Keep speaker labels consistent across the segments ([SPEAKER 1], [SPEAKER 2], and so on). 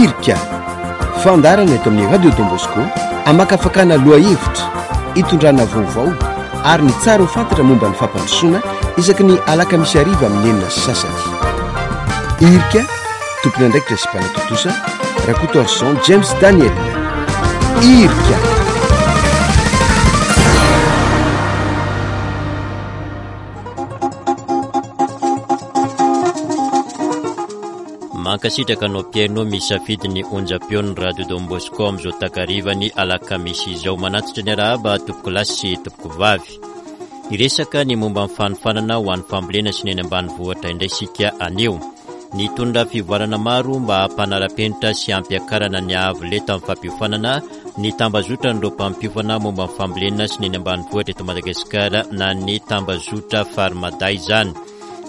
[SPEAKER 1] Irika, fandaharana eto amin'ny Radio Don Bosco hamakafakana lohahevitra, hitondrana vaovao ary ny tsara ho fantatra momba ny fampandrosoana isaky ny alakamisy hariva amin'ny 6:30. Irika, tompon'andraikitra sy mpanatontosa, Rakotoarison James Daniel. Irika.
[SPEAKER 2] Mankasitraka anao mpihaino misafidy ny onjam-peon'ny Radio Don Bosco amin'izao takarivan'ny alakamisy izao. Manatitra ny arahaba tompokolahy sy tompokovavy. Hiresaka ny momba ny fanofanana ho an'ny fambolena sy ny eny ambanivohitra indray isika anio. Nitondra fivoarana maro mba hampanara-penitra sy hampiakarana ny haavo lenta amin'ny fampiofanana ny tambazotran'ireo mpampiofana momba ny fambolena sy ny eny ambanivohitra eto Madagasikara na ny tambazotra Farmada izany.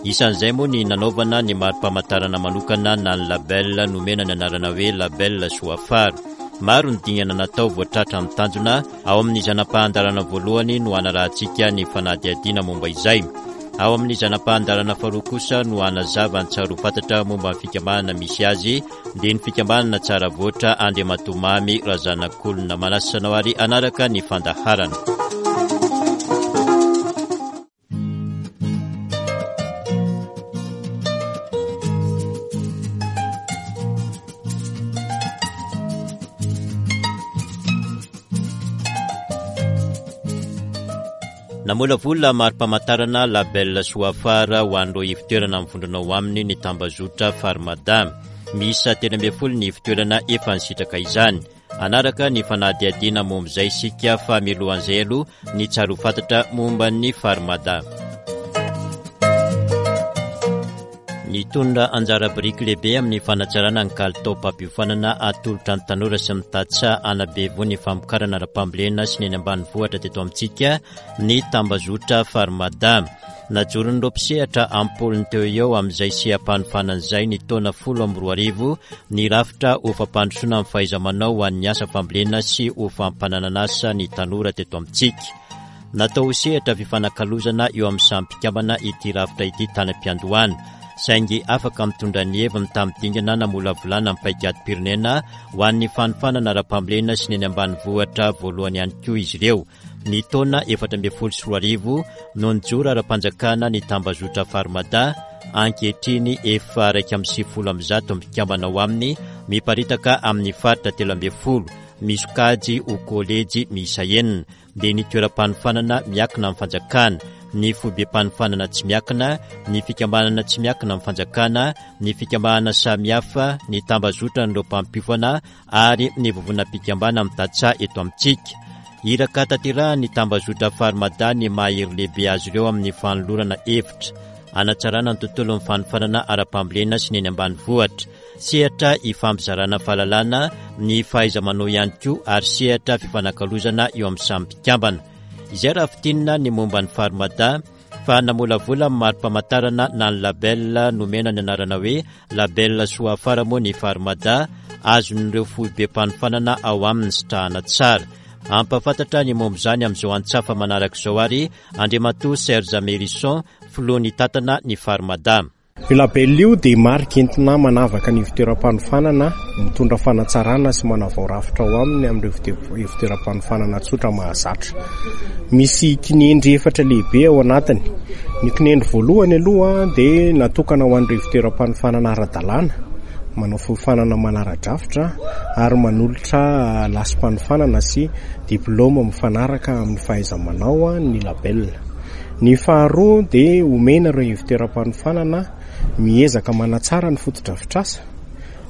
[SPEAKER 2] Isan'izay moa ny nanaovana ny mari-pamantarana manokana na ny label nomena ny anarana hoe Label Soafara. Maro ny dingana natao vao tratra ny tanjona, ao amin'ny zana-pahan-dalana voalohany no hanarahantsika ny fanadihadiana momba izay. Ao amin'ny zana-pahan-dalana faharoa kosa no hanazava ny tsara ho fantatra momba ny fikambanana misy azy, dia ny fikambanana Tsara Voatra Andriamatoa Mamy Razanakolona. Manasa anao ary hanaraka ny fandaharana. Namolavola mari-pamantarana Label Soafara ho an'ireo ivon-toerana mivondrona ao aminy ny tambazotra Farmada. Miisa 13 ny ivon-toerana efa nisitraka izany. Hanaraka ny fanadihadiana momba izay isika fa mialohan'izay aloha ny tsara ho fantatra momba ny Farmada. Nitondra anjara biriky lehibe amin'ny fanatsarana ny kalitaom-pampiofanana atolotra ny tanora sy ny tantsaha hanabe voa ny famokarana ara-pambolena sy ny eny ambanivohitra teto amintsika ny tambazotra Farmada. Najoron'ireo mpisehatra am-polony teo eo amin'izay seha-panofanana izay ny taona 2010 ny rafitra ho fampandrosoana ny fahaiza-manao ho an'ny asa fambolena sy ho fampananan'asa ny tanora teto amintsika. Natao ho sehatra fifanakalozana eo amin'ny samy mpikambana ity rafitra ity tany am-piandohana, saingy afaka mitondra ny heviny tamin'ny dingana namolavolana ny paikadim-pirenena ho an'ny fanofanana ara-pambolena sy ny eny ambanivohitra voalohany ihany koa izy ireo. Ny taona 2014 no nijoro ara-panjakana ny tambazotra Farmada, ankehitriny efa 191 mpikambana ao aminy, miparitaka amin'ny faritra 13, misokajy ho kolejy miisa enina, dia ny toeram-panofanana miakina amin'ny fanjakana, ny foibem-panofanana tsy miakina, ny fikambanana tsy miakina amin'ny fanjakana, ny fikambanana samihafa, ny tambazotran'ireo mpampiofana ary ny vovonam-pikambana amin'ny tantsaha eto amintsika. Iraka tanterahan'ny tambazotra Farmada ny maha hery lehibe azy ireo amin'ny fanolorana hevitra hanatsarana ny tontolon'ny fanofanana ara-pambolena sy ny eny ambanivohitra. Sehatra ifampizarana fahalalana ny fahaiza-manao ihany koa ary sehatra fifanakalozana eo amin'ny samy mpikambana. Izay raha fintinina ny momba ny Farmada fa namolavola ny mari-pamantarana na ny label nomena ny anarana hoe Label Soafara moa ny Farmada, azon'ireo foibem-panofanana ao aminy sitrahana tsara. Hampahafantatra ny momba izany amin'izao antsafa manaraka izao ary Andriamatoa Serge Mérison, filoha nitantana ny Farmada.
[SPEAKER 3] Io label io dia marika entina manavaka ny ivontoeram-panofanana, mitondra fanatsarana sy manavao rafitra ao aminy amin'ireo ivontoeram-panofanana tsotra mahazatra. Misy kinendry efatra lehibe ao anatiny. Ny kinendry voalohany aloha dia natokana ho an'ireo ivontoeram-panofanana ara-dalàna, manao fiofanana manara-drafitra ary manolotra lasim-panofanana sy diplaoma mifanaraka amin'ny fahaiza-manao ny label. Ny faharoa dia omena ireo ivontoeram-panofanana miezaka manatsara ny fotodrafitrasa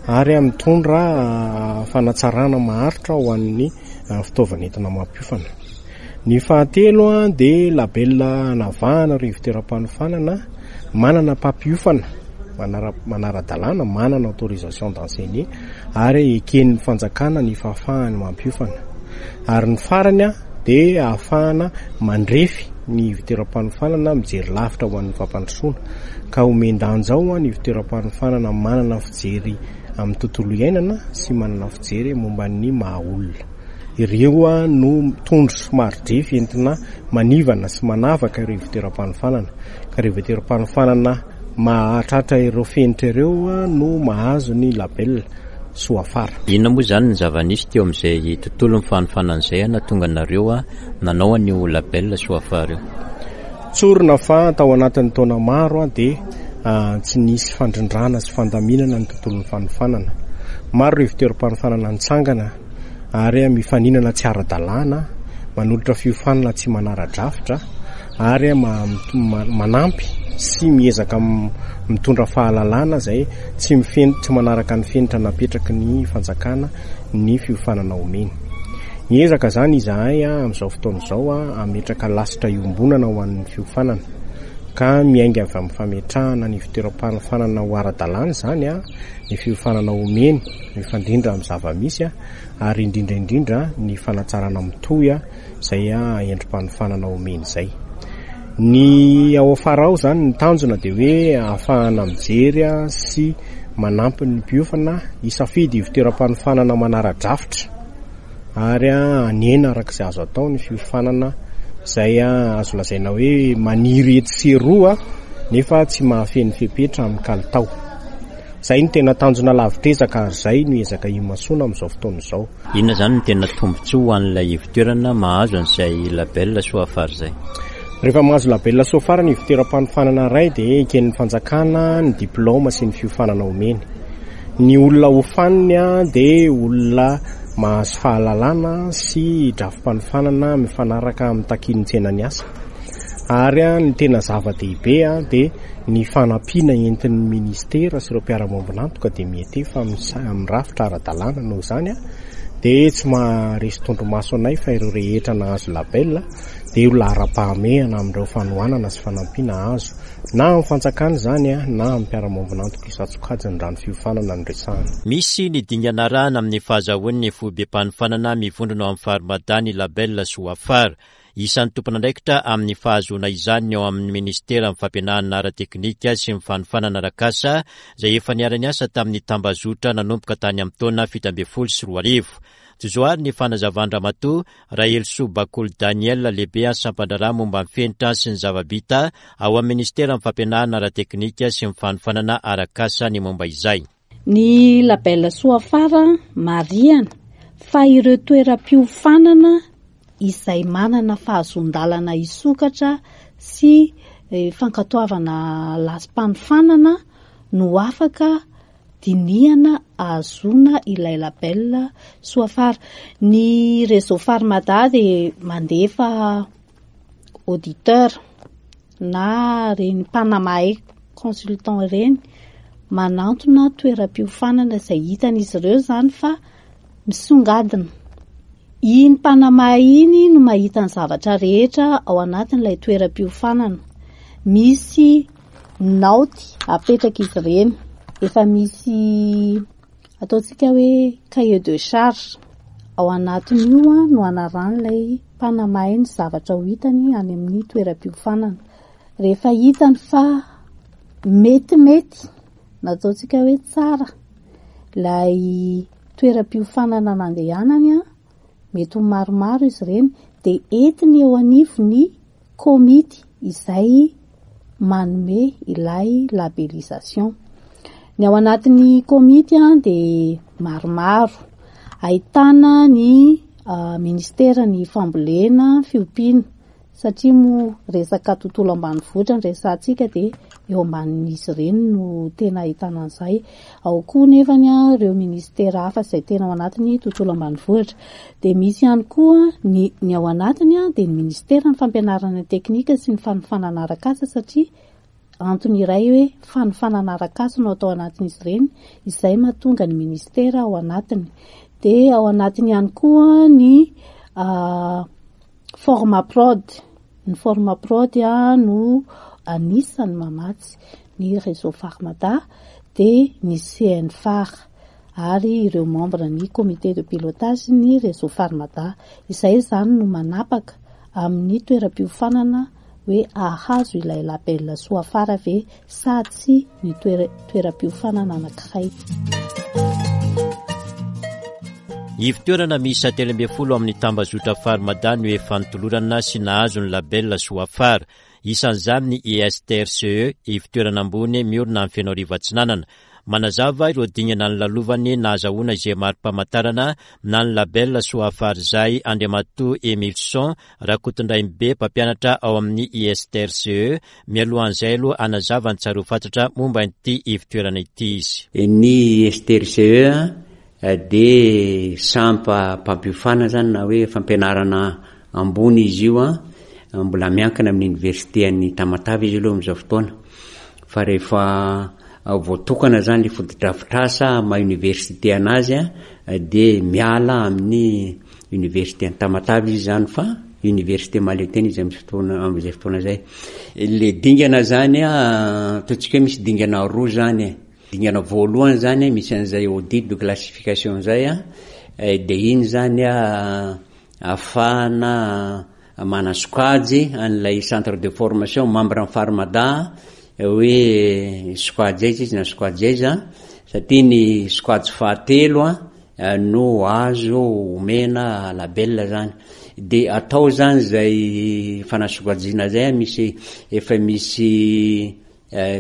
[SPEAKER 3] ary mitondra fanatsarana maharitra ho an'ny fitaovana entina mampiofana. Ny fahatelo dia label hanavahana ireo ivontoeram-panofanana manana mpampiofana manara-dalàna, manana autorisation d'enseigner ary eken'ny fanjakana ny fahafahany mampiofana. Ary ny farany dia ahafahana mandrefy ny ivontoeram-panofanana mijery lavitra ho an'ny fampandrosoana ka omen-danja ao ny ivontoeram-panofanana manana fijery amin'ny tontolo iainana sy manana fijery momba ny maha olona. Ireo no tondro sy mari-drefy entina manivana sy manavaka ireo ivontoeram-panofanana. Ka ireo ivontoeram-panofanana mahatratra ireo fenitra ireo no mahazo ny label. Soafara.
[SPEAKER 2] Inona moa izany ny zava-nisy teo amin'izay tontolon'ny fanofanana izay nahatonga anareo nanao an'io label Soafara io?
[SPEAKER 3] Tsorina fa tao anatin'ny taona maro dia tsy nisy fandrindrana sy fandaminana ny tontolon'ny fanofanana. Maro ireo ivontoeram-panofanana nitsangana ary mifaninana tsy ara-dalàna, manolotra fiofanana tsy manara-drafitra ary manampy sy miezaka mitondra fahalalana izay tsy mifeno, tsy manaraka ny fenitra napetraky ny fanjakana ny fiofanana omeny. Miezaka izany izahay amin'izao fotoana izao hametraka lasitra iombonana ho an'ny fiofanana ka miainga avy amin'ny fametrahana ny fitoeram-panofanana ho ara-dalàna izany ny fiofanana omeny mifandrindra amin'ny zava-misy ary indrindra indrindra ny fanatsarana mitohy izay endri-panofanana omeny izay. Ny ao afara ao izany ny tanjona dia hoe ahafahana mijery sy manampy ny mpiofana hisafidy ivontoeram-panofanana manara-drafitra ary hanena araka izay azo atao ny fiofanana izay azo lazaina hoe maniry etsy sy eroa nefa tsy mahafeno fepetra amin'ny kalitao. Izay no tena tanjona lavitr'ezaka ary izay no ezaka imasoana amin'izao fotoana izao.
[SPEAKER 2] Inona izany no tena tombontsoa ho an'ilay ivon-toerana mahazo an'izay label Soafar izay?
[SPEAKER 3] Rehefa mahazo label Soafar ny ivon-toeram-panofanana iray dia eken'ny fanjakana ny diplaoma sy ny fiofanana omeny. Ny olona hofaniny dia olona mahazo fahalalana sy drafi-panofanana mifanaraka amin'ny takian'ny tsenan'ny asa. Ary ny tena zava-dehibe dia ny fanampiana entin'ny ministera sy ireo mpiara-miombon'antoka dia miantefa amin'ny rafitra ara-dalàna noho izany dia tsy maharesy tondromaso anay fa ireo rehetra nahazo label dia ho laharam-pahamehana amin'ireo fanohanana sy fanampiana azo na amin'ny fanjakana izany na amin'ny mpiara-miombon'antoka isan-tsokajiny raha ny fiofanana no resahana.
[SPEAKER 2] Misy ny dingana arahana amin'ny fahazahoan'ny foibem-panofanana mivondrona ao amin'ny Farmada ny label Soafara. Isan'ny tompon'andraikitra amin'ny fahazoana izany ny ao amin'ny minisiteran'ny fampianarana ara-teknika sy ny fanofanana arak'asa izay efa niara-niasa tamin'ny tambazotra nanomboka tany amin'ny taona 2017. Jozoary ny fanazavan-dRamatoa Rahelisoa Bakoly Daniel lehibe sampan-draharaha momba ny fenitra sy ny zava-bita ao amin'ny minisiteran'ny fampianarana ara-teknika sy ny fanofanana arak'asa ny momba izay.
[SPEAKER 4] Ny label Soafara marihana fa ireo toeram-piofanana izay manana fahazoan-dalana hisokatra sy fankatoavana lasim-panofanana no afaka dinihana ahazoana ilay label Soafara. Ny réseau Farmada dia mandefa auditeur na ireny mpanamahay consultant ireny manantona toeram-piofanana izay hitan'izy ireo izany fa misongadina. Iny mpanamahay iny no mahita ny zavatra rehetra ao anatin'ilay toeram-piofanana. Misy naoty apetrak'izy ireny, efa misy ataontsika hoe cahier de charge. Ao anatin'io no anarahan'ilay mpanamahay ny zavatra ho hitany any amin'ny toeram-piofanana. Rehefa hitany fa metimety na ataontsika hoe tsara ilay toeram-piofanana nandehanany, mety ho maromaro izy ireny, dia entiny eo anivon'ny komity izay manome ilay labellisation. Ny ao anatin'ny komity dia maromaro, ahitana ny ministeran'ny fambolena, fiompiana, Satria moa resaka tontolo ambanivohitra no resahantsika dia eo ambanin'izy ireny no tena ahitana an'izay. Ao koa nefany ireo ministera hafa izay tena ao anatin'ny tontolo ambanivohitra. Dia misy ihany koa ny ny ao anatiny dia ny ministeran'ny fampianarana teknika sy ny fanofanana arak'asa satria antony iray hoe fanofanana arak'asa no atao anatin'izy ireny, izay mahatonga ny ministera ao anatiny. Dia ao anatiny ihany koa ny Formaprod, ny Formaprod no anisan'ny mamatsy ny réseau Farmada dia ny CNFAR ary ireo membre ny comité de pilotage ny réseau Farmada. Izay izany no manapaka amin'ny toeram-piofanana hoe hahazo ilay label Soafara ve sa tsia ny toeram-piofanana anankiray.
[SPEAKER 2] Ivon-toerana miisa 13 amin'ny tambazotra Farmada no efa notolorana sy nahazo ny label Soafara. Isan'izany ny ISTRCE, ivon-toerana ambony miorina any Fenoarivo Atsinanana. Manazava ireo dingana nolalovany nahazahoana izay mari-pamantarana na ny label Soafarizay Andriamatoa Emilson Rakotondrainibe mpampianatra ao amin'ny ISTRCE. Mialohan'izay aloha hanazava ny tsara ho fantatra momba ity ivotoerana ity izy.
[SPEAKER 5] Ny ISTRCE dia sampam-pampiofanana izany na hoe fampianarana ambony izy io an, mbola miankina amin'ny oniversite an'i Tamatave izy aloha amin'izao fotoana, fa rehefa voatokana izany ilay fotodrafitrasa maha oniversite anazy an, dia miala amin'ny oniversite an'i Tamatave izy izany fa oniversite mahaleo tena izy amin'ny fotoana amin'izay fotoana izay. Ilay dingana izany an, ataontsika hoe misy dingana roa izany e. Dingana voalohany zany misy an'izay audit de classification zay a, de iny zany a ahafahana manasokajy an'ilay centre de formation membre ny Farmada hoe sokajy aiza izy na sokajy aiza satria ny sokajy fahatelo a no azo omena label zany de atao zany zay fanasokajiana zay misy efa misy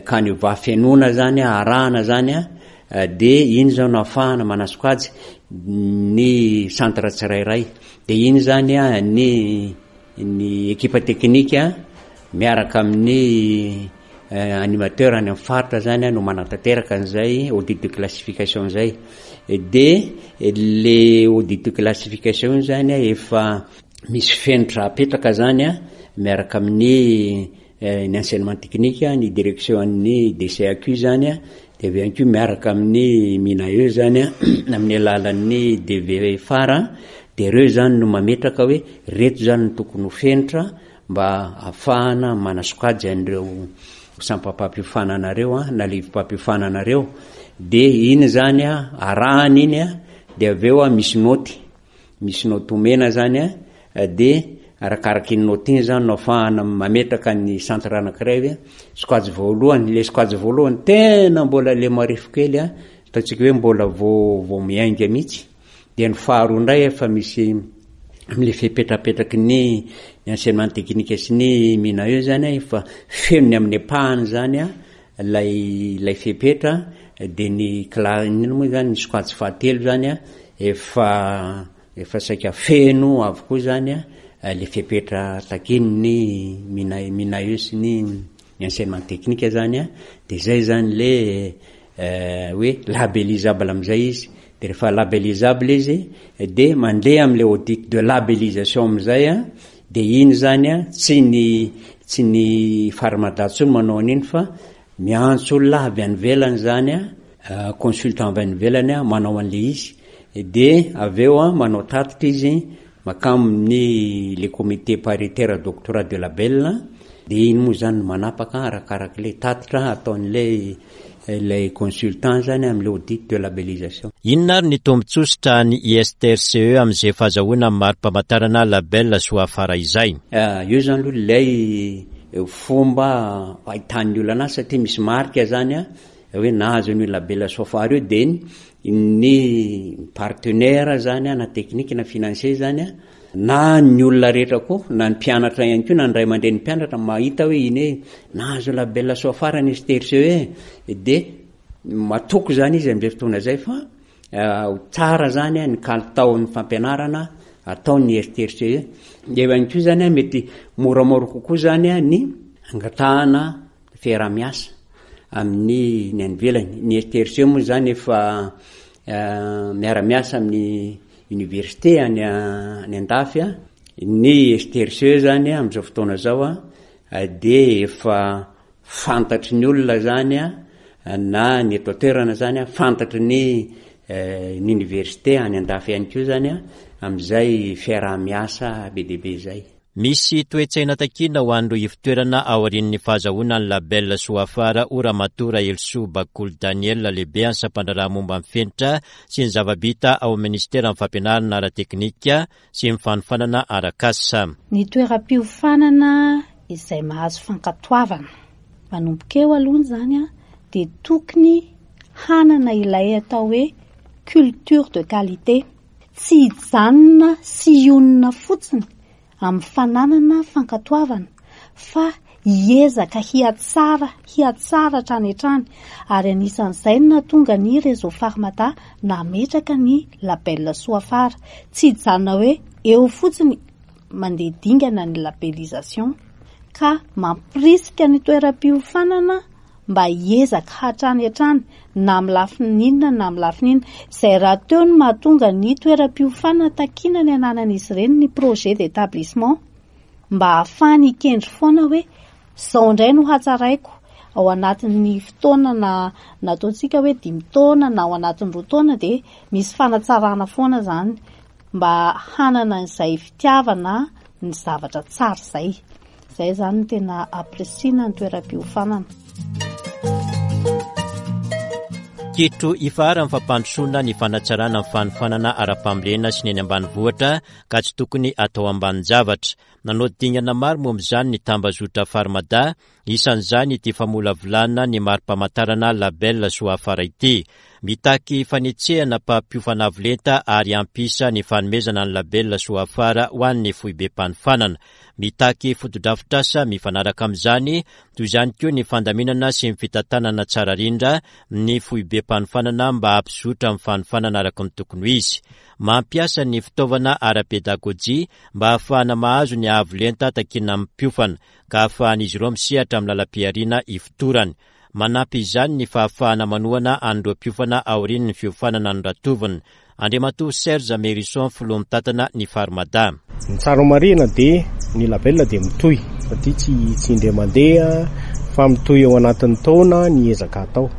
[SPEAKER 5] Canevas fenoina zany arahana zany a, de iny zao no ahafahana manasokajy ny centre tsirairay, de iny zany a ny ny ekipa teknika miaraka amin'ny animateur any amin'ny faritra zany no manatanteraka an'izay audit de classification zay, de le audit de classification io zany a efa misy fenitra apetraka zany a miaraka amin'ny ny enseignement technique, ny direction an'ny DCAQ zany a, de avy eo ihany koa miaraka amin'ny MINAE zany a, amin'ny alalan'ny DV fara, de reo zany no mametraka hoe reto zany no tokony ho fenitra mba ahafahana manasokajy an'ireo sampam-pampiofanana reo a, na livom-pampiofanana reo, de iny zany a arahana iny a, de avy eo a misy naoty, Misy naoty omena zany a, de arakaraka iny naoty iny zany no afahana mametraka ny centre anakiray hoe sokajy voalohany, le sokajy voalohany tena mbola le marefo kely a, ataontsika hoe mbola vao vao miainga mihitsy, de ny faharoa indray efa misy amle fepetra apetraky ny ny enseignement technique sy ny MINAE zany a efa feno ny amin'ny ampahany zany a ilay ilay fepetra de ny kla- inona moa zany ny sokajy fahatelo zany a efa efa saika feno avokoa zany a le fepetra takian'ny MINAE MINAE sy ny ny enseignement technique zany a de zay zany le hoe labellisable am'zay izy de rehefa labellisable izy de mandeha am'le audit de labellisation am'zay a De iny zany an, tsy ny tsy ny Farmada intsony manao an'iny fa miantso olona avy any ivelany zany an, consultant avy any ivelany an manao an'le izy, de avy eo an manao tatitra izy mankamin'ny le comité paritaire doctorat de label, de iny moa zany no manapaka arakarak'le tatitra ataon'ilay ilay consultant zany amin'ilay audit de labellisation.
[SPEAKER 2] Inona ary ny tombontsoa sitrahan'ny ISTRCE amin'izay fahazahoana ny mari-pamantarana label Soafara izay?
[SPEAKER 5] Io zany aloha ilay fomba ahitan'ny olona anazy satria misy marika zany hoe nahazo an'io label Soafara io dia ny partenaire zany na technique na financier zany Na ny olona rehetra koa, na ny mpianatra ihany koa, na ny ray aman-drenin'ny mpianatra mahita hoe iny hoe nahazo label soafara ny STRCE e, dia matoky izany izy amin'izay fotoana izay fa ho tsara izany ny kalitaon'ny fampianarana ataon'ny STRCE. Eo ihany koa izany mety moramora kokoa izany ny angatahana fiaraha-miasa amin'ny ny any ivelany. Ny STRCE moa izany efa miara-miasa amin'ny Université any any andafy a, ny STRCE zany amin'izao fotoana izao a dia efa fantatry ny olona zany a na ny eto an-toerana zany a, fantatry ny ny université any andafy ihany koa zany a amin'izay fiaraha-miasa be dia be izay.
[SPEAKER 2] Misy toe-tsaina takiana ho an'ireo ivotoerana aorian'ny fahazahoana ny label Soafara ho Ramatoa Rahelisoa Bakoly Daniel lehibe an'ny sampandraharaha momba ny fenitra sy ny zava-bita ao amin'ny minisiteran'ny fampianarana ara-teknika sy ny fanofanana arak'asa.
[SPEAKER 4] Ny toeram-piofanana izay mahazo fankatoavana. Manomboka eo aloha izany dia tokony hanana ilay atao hoe culture de qualité. Tsy hijanona sy hionona fotsiny amin'ny fananana fankatoavana fa hiezaka hihatsara hihatsara hatrany hatrany ary anisan'izay no nahatonga ny Réseau Farmada nametraka ny label Soafara. Tsy hijanona hoe eo fotsiny mandeha dingana ny labellisation ka mampirisika ny toeram-piofanana mba hiezaka hatrany hatrany na amin'ny lafiny inona na amin'ny lafiny inona. Izay rahateo no mahatonga ny toeram-piofanana takiana ny ananan'izy ireny ny projet d'établissement mba hahafahany hikendry foana hoe izao indray no hatsaraiko ao anatin'ny fotoana na nataontsika hoe dimy taona na ao anatin'ny roa taona dia misy fanatsarana foana izany mba hanana izay fitiavana ny zavatra tsara izay. Izay izany no tena ampirisihina ny toeram-piofanana.
[SPEAKER 2] Kitro ifaharan'ny fampandrosoana ny fanatsarana ny fanofanana ara-pambolena sy ny eny ambanivohitra ka tsy tokony atao ambanin-javatra. Nanao dingana maro momba izany ny tambazotra Farmada, Isan'izany ity famolavolana ny mari-pamantarana Label Soafara ity. Mitaky fanetsehana mpampiofana avo lenta ary hampiisa ny fanomezana ny Label Soafara ho an'ny foibem-panofanana. Mitaky fotodrafitrasa mifanaraka amin'izany, toy izany koa ny fandaminana sy ny fitantanana tsara rindra ny foibem-panofanana mba hampizotra ny fanofanana araka ny tokony ho izy. Mampiasa ny fitaovana ara-pedagojia mba hahafahana mahazo ny avo lenta takiana amin'ny mpiofana. ka ahafahan'izy ireo misehatra amin'ny lalam-pihariana ifotorany. Manampy izany ny fahafahana manohana an'ireo mpiofana aorian'ny fiofanana noratovina. Andriamatoa Serge Mérison, filoha mitantana ny Farmada.
[SPEAKER 3] Ny tsara ho marihina dia ny label dia mitohy satria tsy tsy indray mandeha fa mitohy ao anatin'ny taona ny ezaka atao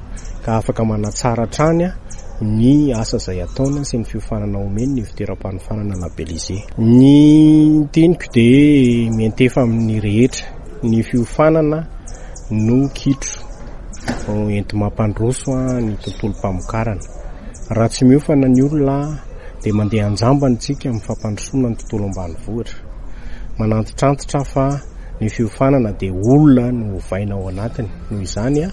[SPEAKER 3] ka afaka manatsara hatrany ny asa izay ataony sy ny fiofanana omeny ny fitoeram-panofanana labellisé. Ny teniko dia miantefa amin'ny rehetra, ny fiofanana no kitro enti-mampandroso ny tontolom-pamokarana. Raha tsy miofana ny olona dia mandeha an-jambany isika amin'ny fampandrosoana ny tontolo ambanivohitra. Manantitrantitra fa ny fiofanana dia olona no ovaina ao anatiny, noho izany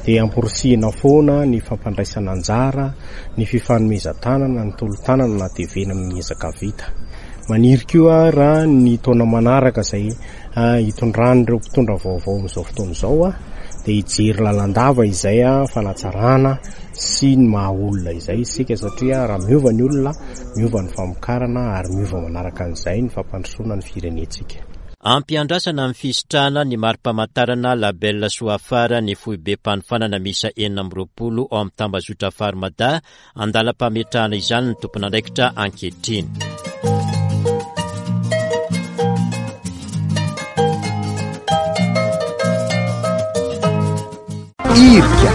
[SPEAKER 3] dia amporisihina foana ny fampandraisana anjara, ny fifanomezan-tanana, ny tolo-tanana na tevena amin'ny ezaka vita. Maniry koa aho raha ny taona manaraka izay hitondran'ireo mpitondra vaovao amin'izao fotoana izao dia hijery lalandava izay fanatsarana sy ny maha olona izay isika satria raha miova ny olona, miova ny famokarana ary miova manaraka an'izay ny fampandrosoana ny firenentsika.
[SPEAKER 2] Ampiandrasana amin'ny fisitrahana ny mari-pamantarana Label Soafara ny foibem-panofanana miisa 26 ao amin'ny tambazotra Farmada, andalam-pametrahana izany ny tompon'andraikitra ankehitriny.
[SPEAKER 1] Irika.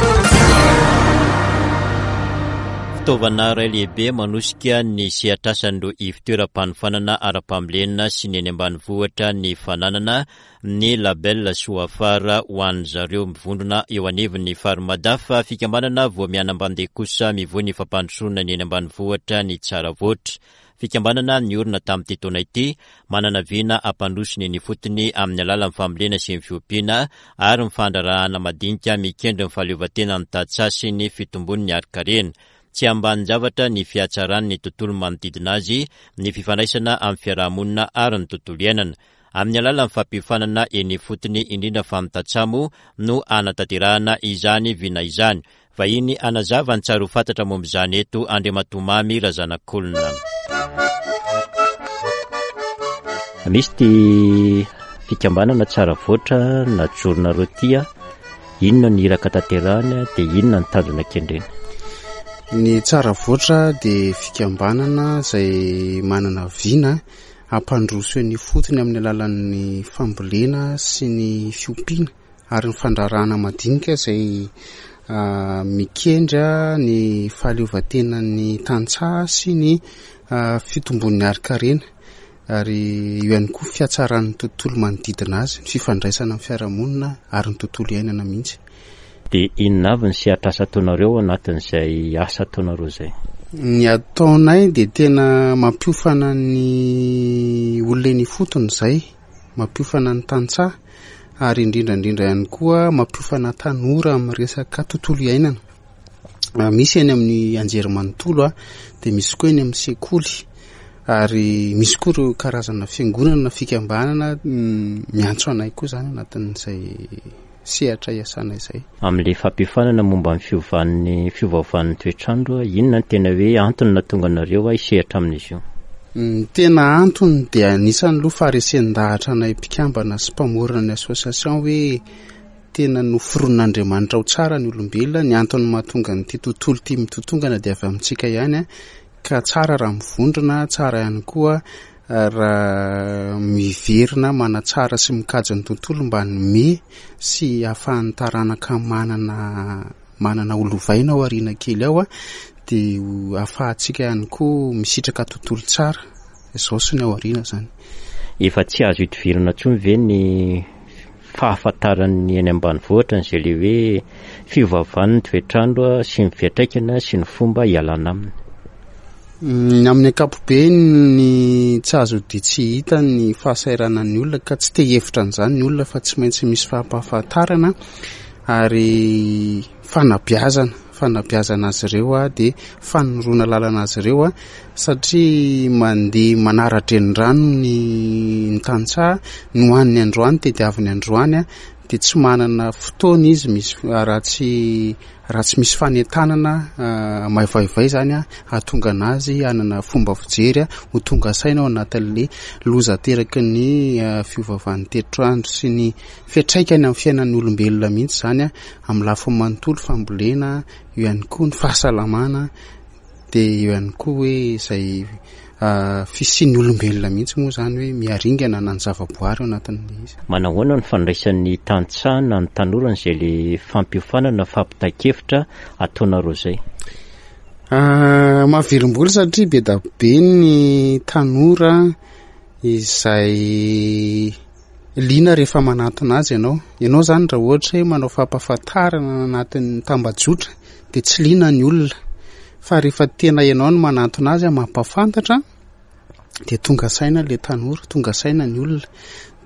[SPEAKER 2] Fitaovana iray lehibe manosika ny sehatr'asan'ireo ivon-toeram-panofanana ara-pambolena sy ny eny ambanivohitra ny fananana ny label Soafara ho an-dry zareo mivondrona eo anivon'ny Farmadaf, fikambanana vao mianam-bandeha kosa mivoy ny fampandrosoana ny eny ambanivohitra ny Tsaravoatra. Fikambanana niorina tamin'ity taona ity, manana vina hampandroso ny eny ifotony amin'ny alalan'ny fambolena sy ny fiompiana ary ny fandraharahana madinika mikendry ny fahaleovantenan'ny tantsaha sy ny fitombon'ny harin-karena. Tsy ambanin-javatra ny fihatsaran'ny tontolo manodidina azy, ny fifandraisana amin'ny fiaraha-monina ary ny tontolo iainana. Amin'ny alalan'ny fampiofanana eny ifotony indrindra fa amin'ny tantsaha moa no hanatanterahana izany vina izany. Vahiny hanazava ny tsara ho fantatra momba izany eto Andriamatoa Mamy Razanakolona. Misy ity fikambanana tsara voatra najoronareo ity a, inona ny iraka tanterahany dia inona ny tanjona kendreny?
[SPEAKER 6] Ny tsara voatra dia fikambanana izay manana vina hampandroso eny ifotony amin'ny alalan'ny fambolena sy ny fiompiana ary ny fandraharahana madinika izay mikendry ny fahaleovantenan'ny tantsaha sy ny fitombon'ny harin-karena ary eo ihany koa fihatsaran'ny tontolo manodidina azy, ny fifandraisana amin'ny fiarahamonina ary ny tontolo iainana mihitsy.
[SPEAKER 2] Dia inona avy ny sehatr'asa ataonareo ao anatin'izay asa ataonareo izay?
[SPEAKER 6] Ny ataonay dia tena mampiofana ny olona eny ifotony izay. mampiofana ny tantsaha ary indrindra indrindra ihany koa mampiofana tanora amin'ny resaka tontolo iainana. Ah, misy eny amin'ny anjerimanontolo ah, dia misy koa eny amin'ny sekoly. Ary misy koa ireo karazana fiangonana na fikambanana miantso anay koa izany anatin'izay sehatra iasanay izay.
[SPEAKER 2] Amin'ilay fampiofanana momba ny fiovan'ny fiovaovan'ny toetr'andro, inona no tena hoe antony nahatonga anareo hisehatra amin'izy io?
[SPEAKER 6] Ny tena antony dia anisan'ny aloha faharesen-dahatra anay mpikambana sy mpamorona ny association hoe tena noforonin'Andriamanitra ho tsara ny olombelona, ny antony mahatonga an'ity tontolo ity mitotongana dia avy amintsika ihany ka tsara raha mivondrona, tsara ihany koa raha miverina manatsara sy mikajy ny tontolo mba hanome sy hahafahan'ny taranaka manana manana ho lovaina ao aoriana kely ao dia hahafahantsika ihany koa misitraka tontolo tsara izao sy ny ao aoriana izany.
[SPEAKER 2] Efa tsy azo idivirana intsony ve ny fahafantaran'ny eny ambanivohitra an'izay le hoe fiovaovan'ny toetr'andro sy ny fiantraikany sy ny fomba hialana aminy?
[SPEAKER 6] Ny amin'ny ankapobeny ny tsy azo dia tsy hita ny fahasahiranan'ny olona ka tsy te hihevitra an'izany ny olona fa tsy maintsy misy fampahafantarana ary fanabeazana, fanabeazana azy ireo dia fanoroana lalana azy ireo satria mandeha manara-drenirano ny ny tantsaha, ny hohaniny androany tediaviny androany dia tsy manana fotoana izy misy raha tsy Raha tsy misy fanentanana maivaivay izany hahatonga an'azy hanana fomba fijery ho tonga saina ao anatin'ilay loza ateraky ny fiovaovan'ny toetr'andro sy ny fiantraikany amin'ny fiainan'ny olombelona mihitsy izany amin'ny lafiny manontolo, fambolena, eo ihany koa ny fahasalamana. Dia eo ihany koa hoe izay fisian'ny olombelona mihitsy moa izany hoe miharingana na ny zavaboary ao anatin'ilay izy.
[SPEAKER 2] Manahoana ny fandraisan'ny tantsaha na ny tanora an'izay le fampiofanana, fampitan-kevitra ataonareo izay?
[SPEAKER 6] Mahavelom-bolo satria be da be ny tanora izay liana rehefa manantona azy ianao. Ianao izany raha ohatra hoe manao fampahafantarana anatin'ny tambajotra dia tsy liana ny olona fa rehefa tena ianao no manantona azy mampahafantatra dia tonga saina ilay tanora, tonga saina ny olona.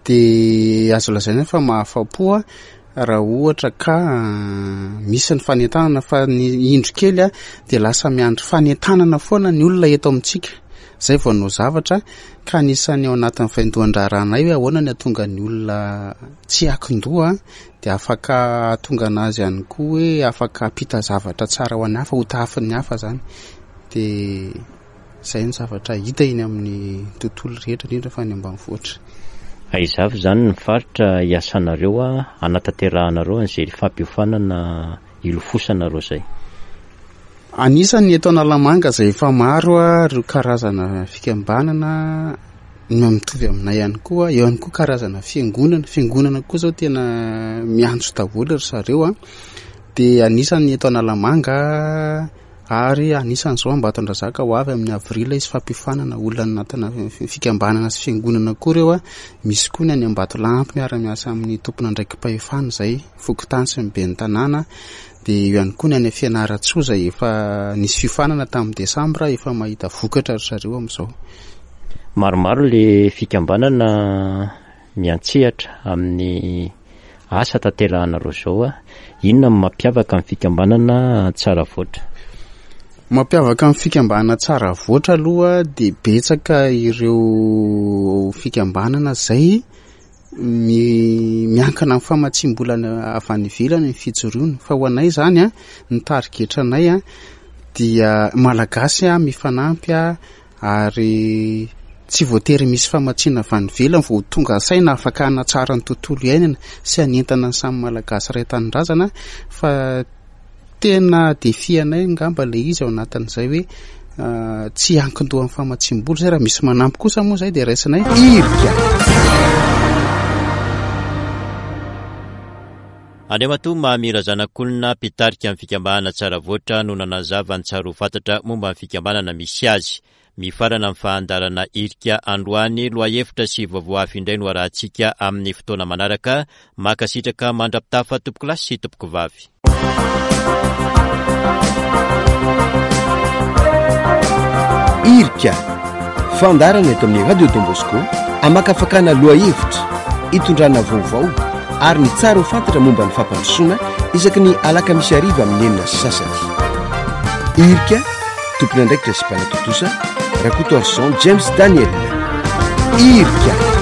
[SPEAKER 6] Dia azo lazaina fa mahafa-po raha ohatra ka misy ny fanentanana fa ny indro kely dia lasa miandry fanentanana foana ny olona eto amintsika. Izay vao hanao zavatra ka anisan'ny ao anatin'ny vaindohan-draharahanay hoe ahoana ny hahatonga ny olona tsy hiankin-doha dia afaka hahatonga anazy ihany koa hoe afaka hampita zavatra tsara ho an'ny hafa, ho tahafin'ny hafa izany. Dia izay ny zavatra hita eny amin'ny tontolo rehetra, indrindra fa any ambanivohitra.
[SPEAKER 2] Aiza avy izany ny faritra iasanareo hanatanterahanareo an'izay fampiofanana ilofosanareo izay?
[SPEAKER 6] Anisan'ny eto Analamanga izay efa maro ireo karazana fikambanana no mitovy aminay ihany koa, eo ihany koa karazana fiangonana, fiangonana koa izao tena miantso daholo ry zareo a, dia anisan'ny eto Analamanga ary anisan'izao Ambatondrazaka ho avy amin'ny avril hisy fampiofanana olona anatina fikambanana sy fiangonana koa ireo a, misy koa ny any Ambatolampy miara-miasa amin'ny tompon'andraiki-pahefana izay, fokontany sy ny ben'ny tanàna. Dia eo ihany koa ny any Fianarantsoa izay efa nisy fiofanana tamin'ny desambra, efa mahita vokatra ry zareo amin'izao.
[SPEAKER 2] Maromaro le fikambanana miantsehatra amin'ny asa tanterahanareo izao. Inona no mampiavaka ny fikambanana Tsaravoatra?
[SPEAKER 6] Mampiavaka ny fikambanana Tsaravoatra aloha dia betsaka ireo fikambanana izay Miankina amin'ny famatsiam-bola avy any ivelany ny fijoroana fa ho anay izany a, ny tarigetranay a dia Malagasy a mifanampy a ary tsy voatery misy famatsiana avy any ivelany vao tonga saina afaka hanatsara ny tontolo iainana sy hanentana ny samy Malagasy iray tanindrazana fa Tena défi anay angamba ilay izy ao anatin'izay hoe tsy hiankin-doha amin'ny famatsiam-bola izay, raha misy manampy kosa moa izay dia raisinay.
[SPEAKER 1] Irika.
[SPEAKER 2] Andriamatoa Mamy Razanakolona, mpitarika ny fikambanana Tsaravoatra no nanazava ny tsara ho fantatra momba ny fikambanana misy azy. Mifarana ny fahandarana irika androany, lohahevitra sy vaovao hafa indray no arahantsika amin'ny fotoana manaraka. Mankasitraka mandra-pitafa tompokolahy sy tompokovavy.
[SPEAKER 1] Irika, fandaharana eto amin'ny Radio Don Bosco, amakafakana lohahevitra, itondrana vaovao ary ny tsara ho fantatra momba ny fampandrosoana isaky ny alakamisy hariva amin'ny 6:30. Irika, tompon'andraikitra sy mpanatontosa. Rakotoarison James Daniel. Irika.